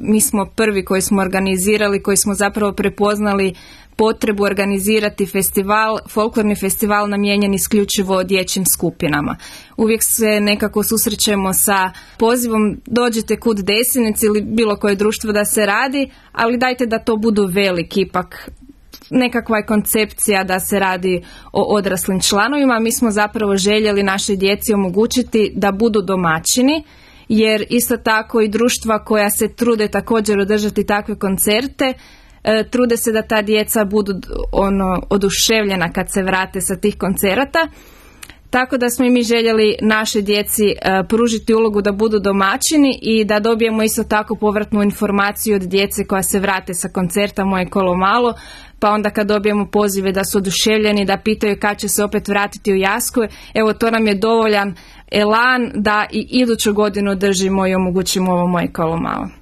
mi smo prvi koji smo organizirali, koji smo zapravo prepoznali potrebu organizirati festival, folklorni festival namijenjen isključivo dječjim skupinama. Uvijek se nekako susrećemo sa pozivom dođite kud Desinec ili bilo koje društvo da se radi, ali dajte da to budu veliki, ipak nekakva je koncepcija da se radi o odraslim članovima. Mi smo zapravo željeli našoj djeci omogućiti da budu domaćini, jer isto tako i društva koja se trude također održati takve koncerte, trude se da ta djeca budu oduševljena kad se vrate sa tih koncerata. Tako da smo i mi željeli našoj djeci pružiti ulogu da budu domaćini i da dobijemo isto tako povratnu informaciju od djece koja se vrate sa koncerta Moje kolo malo, pa onda kad dobijemo pozive da su oduševljeni, da pitaju kad će se opet vratiti u Jasku, evo to nam je dovoljan elan da i iduću godinu držimo i omogućimo ovo Moje kolo malo.